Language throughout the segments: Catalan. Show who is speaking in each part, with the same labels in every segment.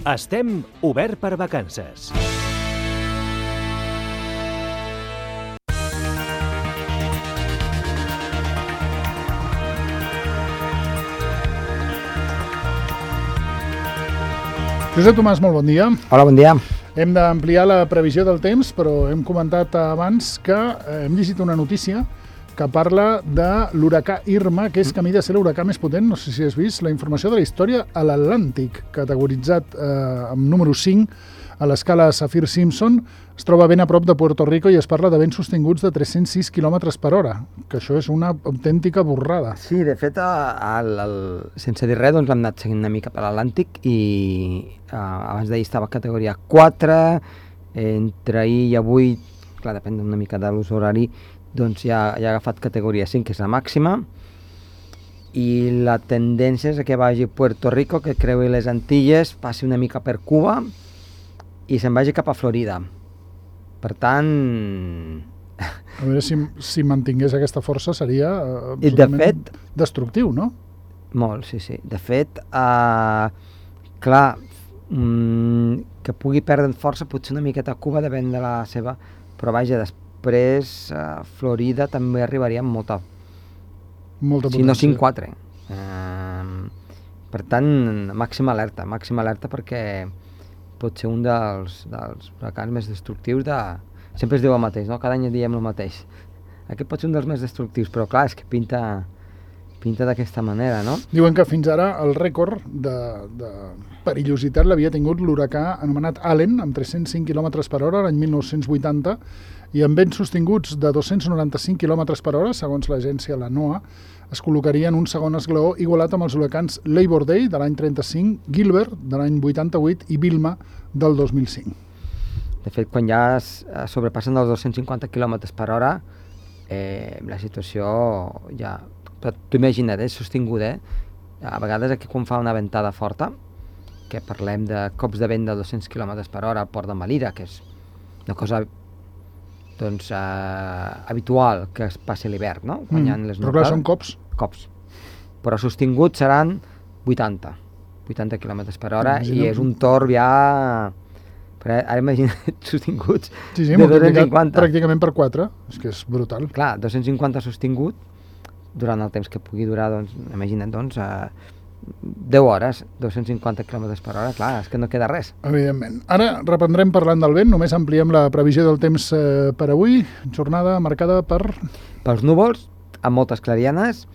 Speaker 1: Estem obert per vacances.
Speaker 2: Josep Tomàs, molt bon dia.
Speaker 3: Hola, bon dia.
Speaker 2: Hem d'ampliar la previsió del temps, però hem comentat abans que hem llegit una notícia que parla de l'huracà Irma, que és camí de ser l'huracà més potent, no sé si has vist, la informació de la història a l'Atlàntic, categoritzat amb número 5 a l'escala Saffir-Simpson, es troba ben a prop de Puerto Rico i es parla de vents sostinguts de 306 km per hora, que això és una autèntica borrada.
Speaker 3: Sí, de fet, sense dir res, doncs l'hem anat seguint una mica per l'Atlàntic i abans d'ahir estava a categoria 4, entre ahir i avui, clar, depèn una mica de l'ús horari, doncs ja ha agafat categoria 5, que és la màxima, i la tendència és que vagi a Puerto Rico, que creui les Antilles, passi una mica per Cuba i se'n vagi cap a Florida. Per tant...
Speaker 2: A veure, si mantingués aquesta força seria absolutament destructiu, no?
Speaker 3: Molt, sí, sí. De fet, clar, que pugui perdre força potser una miqueta a Cuba, depèn de la seva... Però vaja, després Florida també arribaria amb molta potència. Si no 5-4. Per tant, màxima alerta perquè pot ser un dels huracans més destructius de... Sempre es diu el mateix, no? Cada any diem el mateix. Aquest pot ser un dels més destructius, però clar, és que pinta d'aquesta manera, no?
Speaker 2: Diuen que fins ara el rècord de perillositat l'havia tingut l'huracà anomenat Allen, amb 305 km per hora l'any 1980, i amb vents sostinguts de 295 km per hora, segons l'agència la NOAA, es col·locaria en un segon esglaó igualat amb els huracans Labor Day de l'any 35, Gilbert de l'any 88 i Vilma del 2005.
Speaker 3: De fet, quan ja sobrepassen els 250 km per hora, la situació ja... Però t'ho imagina't, és sostingut, A vegades aquí quan fa una ventada forta, que parlem de cops de vent de 200 km per hora al port de Melilla, que és una cosa doncs, habitual que es passi l'hivern, no? Quan hi ha les
Speaker 2: però clar, són cops.
Speaker 3: Cops. Però sostinguts seran 80 km per hora i és un torb ja... Però ara imagina't sostinguts
Speaker 2: de
Speaker 3: 250.
Speaker 2: Pràcticament per 4, és que és brutal.
Speaker 3: Clar, 250 sostingut, durant el temps que pugui durar, doncs, imagina't, 10 hores, 250 km per hora, clar, és que no queda res.
Speaker 2: Evidentment. Ara reprendrem parlant del vent, només ampliem la previsió del temps per avui, jornada marcada
Speaker 3: pels núvols, amb moltes clarianes,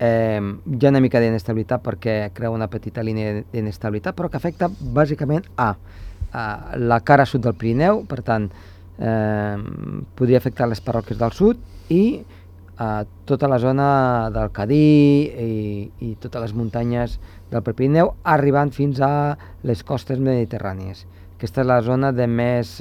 Speaker 3: hi ha una mica d'inestabilitat perquè crea una petita línia d'inestabilitat, però que afecta bàsicament a la cara sud del Pirineu, per tant, podria afectar les parròquies del sud i tota la zona del Cadí i totes les muntanyes del Pirineu, arribant fins a les costes mediterrànies. Aquesta és la zona de més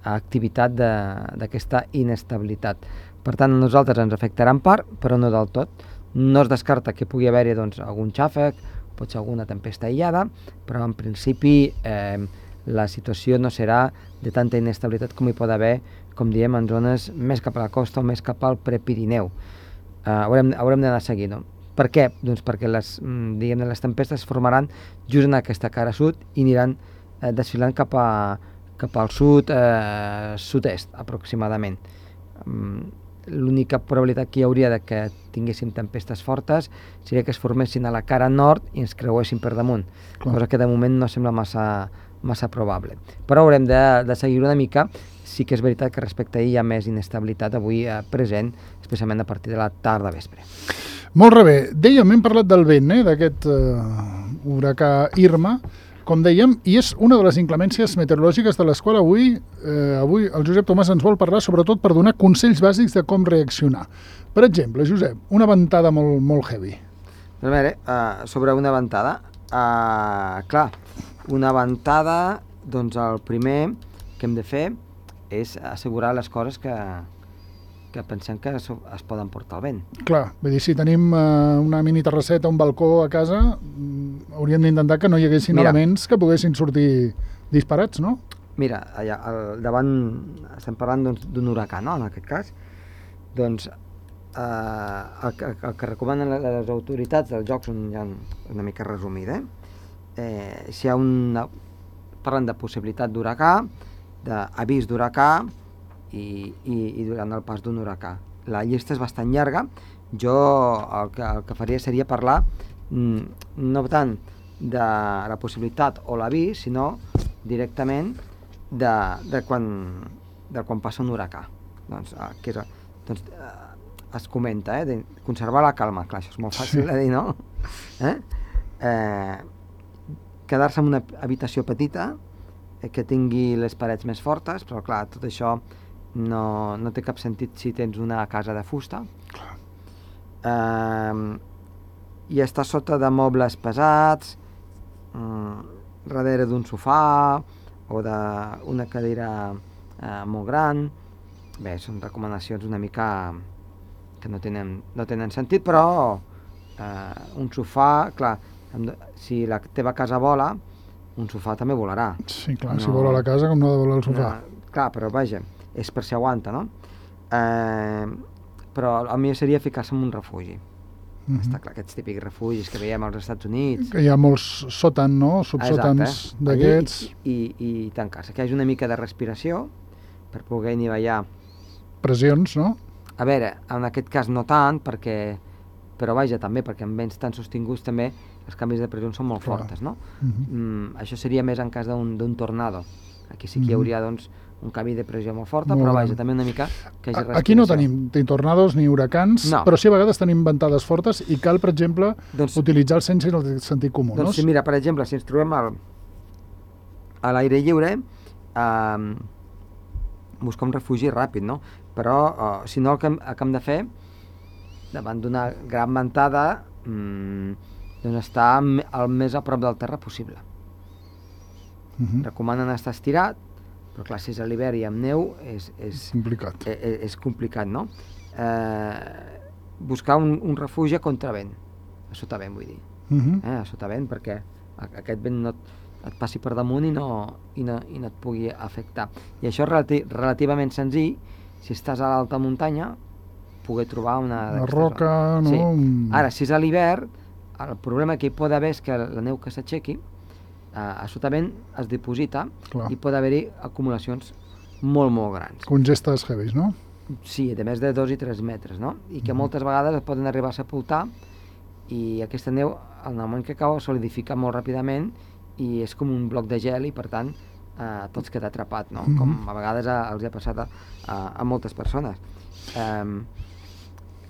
Speaker 3: activitat d'aquesta inestabilitat. Per tant, a nosaltres ens afectarà en part, però no del tot. No es descarta que pugui haver-hi algun xàfec, potser alguna tempesta aïllada, però en principi la situació no serà de tanta inestabilitat com hi pot haver, com diem, en zones més cap a la costa o més cap al Prepirineu. Haurem d'anar seguint, no? Per què? Doncs perquè les tempestes es formaran just en aquesta cara sud i aniran desfilant cap al sud, sud-est, aproximadament. L'única probabilitat que hi hauria de que tinguéssim tempestes fortes seria que es formessin a la cara nord i ens creuessin per damunt, cosa que de moment no sembla massa probable. Però haurem de seguir una mica. Sí que és veritat que respecte a ahir hi ha més inestabilitat avui present, especialment a partir de la tarda vespre.
Speaker 2: Molt bé. Dèiem, hem parlat del vent, d'aquest huracà Irma, com dèiem, i és una de les inclemències meteorològiques de les quals avui el Josep Tomàs ens vol parlar, sobretot per donar consells bàsics de com reaccionar. Per exemple, Josep, una ventada molt heavy.
Speaker 3: A veure, sobre una ventada, clar, una ventada, doncs el primer que hem de fer és assegurar les coses que pensem que es poden portar al vent.
Speaker 2: Clar, vull dir, si tenim una mini terrasseta, un balcó a casa, hauríem d'intentar que no hi haguessin elements que poguessin sortir disparats, no?
Speaker 3: Mira, allà al davant estem parlant d'un huracà, no?, en aquest cas. Doncs el que recomanen les autoritats dels jocs, ja una mica resumida, si hi ha parlen de possibilitat d'huracà, d'avís d'huracà i durant el pas d'un huracà. La llista és bastant llarga. Jo el que faria seria parlar no tant de la possibilitat o l'avís, sinó directament de quan passa un huracà. Doncs, es comenta, de conservar la calma, clar, això és molt fàcil de dir, no? Quedar-se en una habitació petita, que tingui les parets més fortes, però clar, tot això no té cap sentit si tens una casa de fusta. I estar sota de mobles pesats, darrere d'un sofà o d'una cadira molt gran. Bé, són recomanacions una mica que no tenen sentit, però un sofà, clar, si la teva casa vola, un sofà també volarà.
Speaker 2: Sí, clar, si vola la casa com no ha de volar el sofà.
Speaker 3: Clar, però vaja, és per si aguanta, no? Però el millor seria ficar-se en un refugi. Està clar, aquests típics refugis que veiem als Estats Units.
Speaker 2: Que hi ha molts sòtans, no? Subsòtans d'aquests.
Speaker 3: I tancar-se, que hi hagi una mica de respiració per poder anivellar.
Speaker 2: Pressions, no?
Speaker 3: A veure, en aquest cas no tant, però vaja, també, perquè en vents tan sostinguts també els canvis de pressió són molt fortes, no? Això seria més en cas d'un tornado. Aquí sí que hi hauria, doncs, un canvi de pressió molt forta, però vaja, també una mica que hi hagi respiració. Aquí
Speaker 2: no tenim ni tornados ni huracans, però sí a vegades tenim ventades fortes i cal, per exemple, utilitzar el sens i el sentit comú, no?
Speaker 3: Doncs sí, mira, per exemple, si ens trobem a l'aire lliure, buscar un refugi ràpid, no? Però, si no, el que hem de fer, davant d'una gran ventada, doncs estar el més a prop del terra possible. Recomanen estar estirat, però clar, si és a l'hivern i amb neu és
Speaker 2: complicat.
Speaker 3: És complicat, no? Buscar un refugi a contravent, a sotavent vull dir, a sotavent, perquè aquest vent no et passi per damunt i no et pugui afectar. I això és relativament senzill si estàs a l'alta muntanya, poder trobar una
Speaker 2: roca, no?
Speaker 3: Sí. Ara, si és a l'hivern, el problema que hi pot haver és que la neu que s'aixequi a sotavent es diposita i pot haver-hi acumulacions molt, molt grans.
Speaker 2: Congestes heavies, no?
Speaker 3: Sí, de més de 2 i 3 metres, no? I que moltes vegades es poden arribar a sepultar i aquesta neu, en el moment que cau, es solidifica molt ràpidament i és com un bloc de gel i, per tant, tot queda atrapat, no? Com a vegades els ha passat a moltes persones.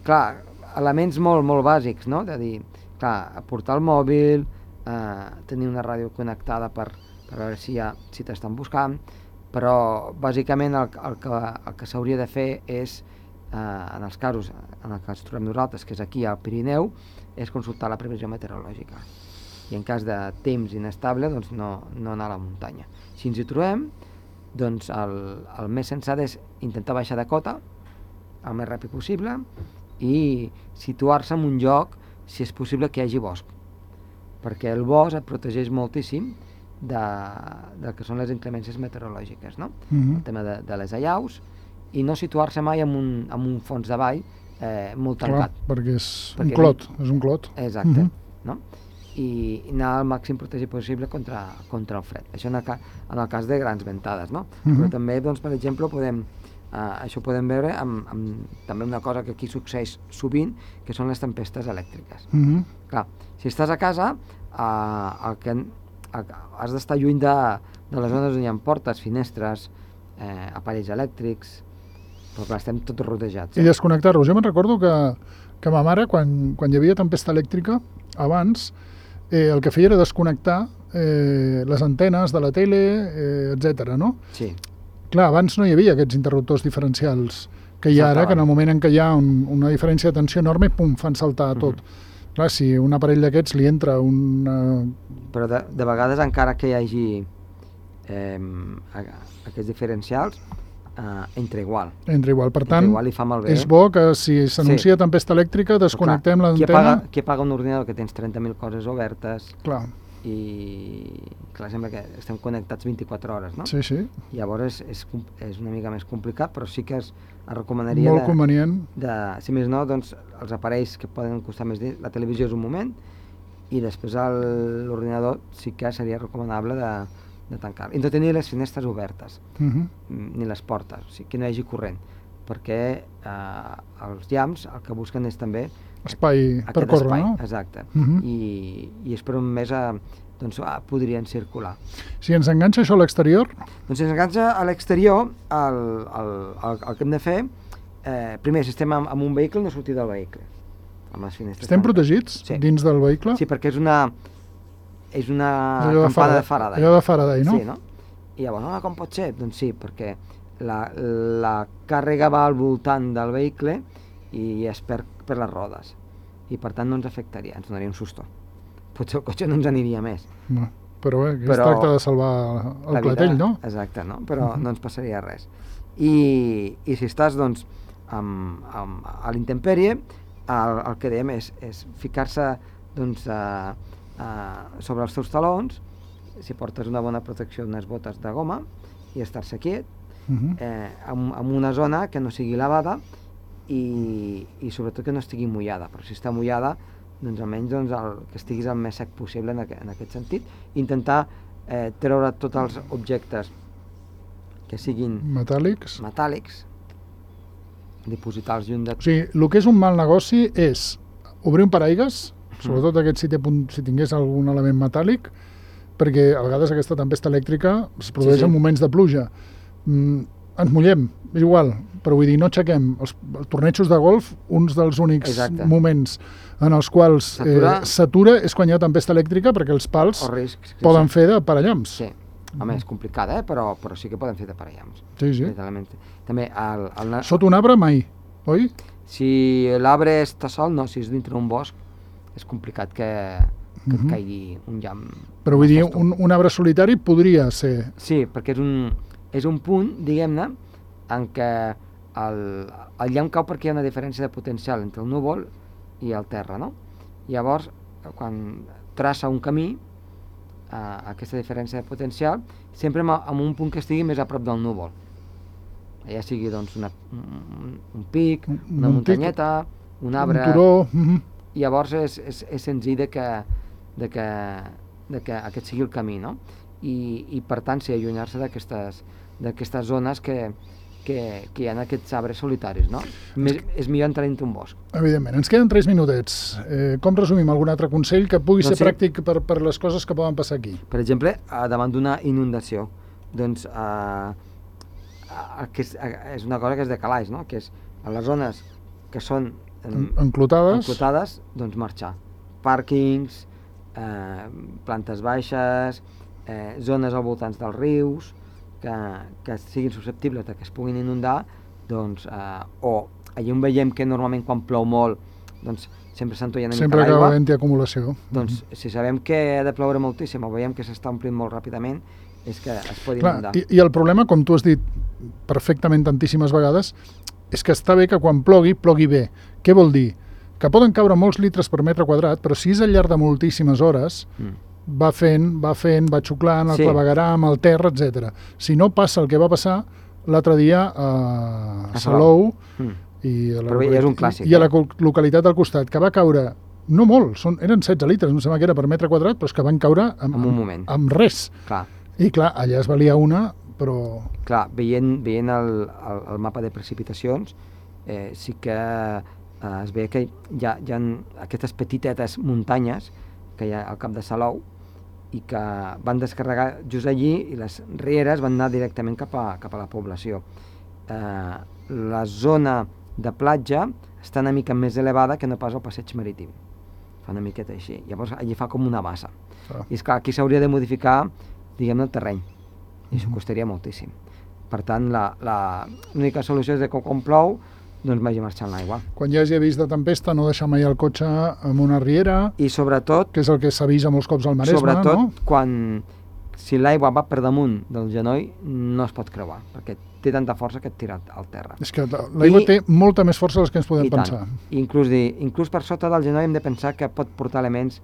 Speaker 3: Clar, elements molt, molt bàsics, no? De dir, clar, portar el mòbil, tenir una ràdio connectada per veure si t'estan buscant, però bàsicament el que s'hauria de fer és, en els casos en els que ens trobem nosaltres, que és aquí al Pirineu, és consultar la previsió meteorològica. I en cas de temps inestable, doncs no anar a la muntanya. Si ens hi trobem, doncs el més sensat és intentar baixar de cota el més ràpid possible i situar-se en un lloc, si és possible, que hi hagi bosc, perquè el bosc et protegeix moltíssim del que són les inclemències meteorològiques, no? El tema de les allaus, i no situar-se mai en un fons de vall molt tancat.
Speaker 2: Clar, perquè és un clot.
Speaker 3: Exacte, no? I anar al màxim protegit possible contra el fred. Això en el cas de grans ventades, no? Però també, doncs, per exemple, això ho podem veure amb també una cosa que aquí succeeix sovint, que són les tempestes elèctriques. Clar, si estàs a casa, has d'estar lluny de les zones on hi ha portes, finestres, aparells elèctrics, però clar, estem tots rodejats.
Speaker 2: I desconnectar-los. Jo me'n recordo que ma mare, quan hi havia tempesta elèctrica, abans, el que feia era desconnectar les antenes de la tele, etc. no?
Speaker 3: Sí.
Speaker 2: Clar, abans no hi havia aquests interruptors diferencials que hi ha ara, que en el moment en què hi ha una diferència de tensió enorme, pum, fan saltar tot. Clar, si un aparell d'aquests li entra
Speaker 3: Però de vegades, encara que hi hagi aquests diferencials, entra igual.
Speaker 2: Entra igual, per tant,
Speaker 3: igual, fa malbé.
Speaker 2: És bo que si s'anuncia tempesta elèctrica desconnectem l'antena.
Speaker 3: Qui apaga un ordinador que tens 30.000 coses obertes?
Speaker 2: Clar.
Speaker 3: I clar, sembla que estem connectats 24 hores, no?
Speaker 2: Sí, sí.
Speaker 3: Llavors és una mica més complicat, però sí que es recomanaria
Speaker 2: molt convenient.
Speaker 3: Si més no, doncs els aparells que poden costar més diners, la televisió és un moment, i després l'ordinador sí que seria recomanable de tancar. I no tenir les finestres obertes,
Speaker 2: Mhm.
Speaker 3: ni les portes, o sigui, que no hi hagi corrent, perquè els llamps el que busquen és també
Speaker 2: Espai per
Speaker 3: aquest
Speaker 2: córrer,
Speaker 3: espai,
Speaker 2: no?
Speaker 3: exacte,
Speaker 2: Mhm.
Speaker 3: i és per on més doncs, podrien circular.
Speaker 2: Si ens enganxa això a l'exterior,
Speaker 3: Doncs si ens enganxa a l'exterior, el que hem de fer, primer, si estem amb un vehicle, no sortir del vehicle, amb les finestres
Speaker 2: estem
Speaker 3: tancades.
Speaker 2: protegits
Speaker 3: Sí.
Speaker 2: dins del vehicle?
Speaker 3: Sí, perquè és una
Speaker 2: Allò
Speaker 3: campana de Faraday.
Speaker 2: Allò de Faraday, no?
Speaker 3: Sí, no? I llavors, com pot ser? Doncs sí, perquè la càrrega va al voltant del vehicle i es perd per les rodes. I per tant no ens afectaria, ens donaria un susto. Potser el cotxe no ens aniria més.
Speaker 2: No, però bé, es
Speaker 3: Però
Speaker 2: tracta de salvar el
Speaker 3: La vida-
Speaker 2: clatell, no?
Speaker 3: Exacte, no? Però no ens passaria res. I si estàs, doncs, a l'intempèrie, el que dèiem és ficar-se, doncs, sobre els teus talons, si portes una bona protecció, unes botes de goma, i estar-se quiet,
Speaker 2: Mhm.
Speaker 3: en una zona que no sigui lavada i sobretot que no estigui mullada, però si està mullada, doncs almenys que estiguis el més sec possible en aquest sentit. Intentar treure tots els objectes que siguin
Speaker 2: Metàl·lics.
Speaker 3: metàl·lics, dipositar-los lluny de...
Speaker 2: O sigui, el que és un mal negoci és obrir un paraigues, sobretot aquest si tingués algun element metàl·lic, perquè a vegades aquesta tempesta elèctrica es produeix en moments de pluja. Ens mullem, és igual, però vull dir, no aixequem. Els tornejos de golf, uns dels únics
Speaker 3: Exacte.
Speaker 2: moments en els quals s'atura és quan hi ha tempesta elèctrica, perquè els pals
Speaker 3: O riscs.
Speaker 2: poden fer de parallamps.
Speaker 3: Sí. Home, és complicada, però sí que poden fer de parellams.
Speaker 2: Sí, sí.
Speaker 3: Literalment. També,
Speaker 2: Sota un arbre mai, oi?
Speaker 3: si l'arbre està sol, no, si és dintre d'un bosc, és complicat que et caigui un llamp.
Speaker 2: Però vull dir, un arbre solitari podria ser...
Speaker 3: Sí, perquè és un punt, diguem-ne, en què el llamp cau perquè hi ha una diferència de potencial entre el núvol i el terra, no? Llavors, quan traça un camí, aquesta diferència de potencial, sempre amb un punt que estigui més a prop del núvol. Ja sigui, doncs, un pic, una muntanyeta, un arbre...
Speaker 2: Un turó...
Speaker 3: Llavors és senzill de que aquest sigui el camí, no? I per tant, sí, allunyar-se d'aquestes zones que hi ha aquests arbres solitaris, no? És millor entrar dintre un bosc.
Speaker 2: Evidentment. Ens queden 3 minutets. Com resumim algun altre consell que pugui ser pràctic per les coses que poden passar aquí?
Speaker 3: Per exemple, davant d'una inundació, doncs és una cosa que és de calaix, no? Que és a les zones que són
Speaker 2: enclotades,
Speaker 3: doncs marxar. Pàrquings, plantes baixes, zones al voltant dels rius, que siguin susceptibles de que es puguin inundar, doncs, o allà on veiem que normalment quan plou molt, doncs sempre s'entollen una mica l'aigua.
Speaker 2: Sempre acaba havent-hi acumulació.
Speaker 3: Doncs si sabem que ha de ploure moltíssim o veiem que s'està omplint molt ràpidament, és que es pot inundar.
Speaker 2: I el problema, com tu has dit perfectament tantíssimes vegades, és que està bé que quan plogui bé. Què vol dir? Que poden caure molts litres per metre quadrat, però si és al llarg de moltíssimes hores, va va xuclant el clavegueram, el terra, etc. Si no passa el que va passar l'altre dia a Salou i a la localitat del costat, que va caure, no molt, eren 16 litres, no sé què era per metre quadrat, però és que van caure
Speaker 3: en un moment.
Speaker 2: Amb res.
Speaker 3: Clar.
Speaker 2: I clar, allà es valia una, però...
Speaker 3: Clar, veient el mapa de precipitacions, sí que es veia que hi ha aquestes petitetes muntanyes que hi ha al cap de Salou i que van descarregar just allí i les rieres van anar directament cap a la població. La zona de platja està una mica més elevada que no pas el passeig marítim. Fa una miqueta així. Llavors allí fa com una bassa. I esclar, aquí s'hauria de modificar, diguem-ne, el terreny. I això costaria moltíssim. Per tant, l'única solució és que quan plou, doncs vagi marxant l'aigua.
Speaker 2: Quan hi hagi avís de tempesta, no deixar mai el cotxe en una riera,
Speaker 3: i sobretot,
Speaker 2: que és el que s'avisa molts cops al Maresme,
Speaker 3: sobretot,
Speaker 2: no?
Speaker 3: Si l'aigua va per damunt del genoll, no es pot creuar, perquè té tanta força que et tira al terra.
Speaker 2: És que l'aigua té molta més força del que ens podem pensar.
Speaker 3: Inclús per sota del genoll hem de pensar que pot portar elements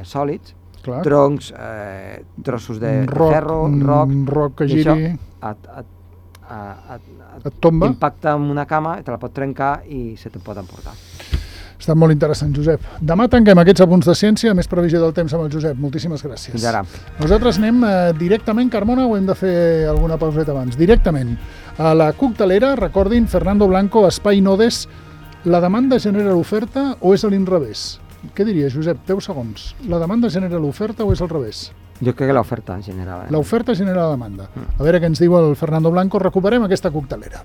Speaker 3: sòlids,
Speaker 2: clar,
Speaker 3: troncs, trossos de ferro, roc,
Speaker 2: que giri,
Speaker 3: et
Speaker 2: tomba,
Speaker 3: impacta amb una cama, te la pot trencar i se te'n pot emportar.
Speaker 2: Ha estat molt interessant, Josep. Demà tanquem aquests apunts de ciència, més previsió del temps amb el Josep. Moltíssimes gràcies.
Speaker 3: Fins ara.
Speaker 2: Nosaltres anem directament, Carmona, o hem de fer alguna pauseta abans? Directament. A la coctelera, recordin, Fernando Blanco, Espai Nodes, la demanda genera l'oferta o és a l'inrevés? Què diries, Josep? 10 segons. La demanda genera l'oferta o és al revés?
Speaker 3: Jo crec que l'oferta en general.
Speaker 2: L'oferta genera la demanda. A veure què ens diu el Fernando Blanco. Recuperem aquesta coctelera.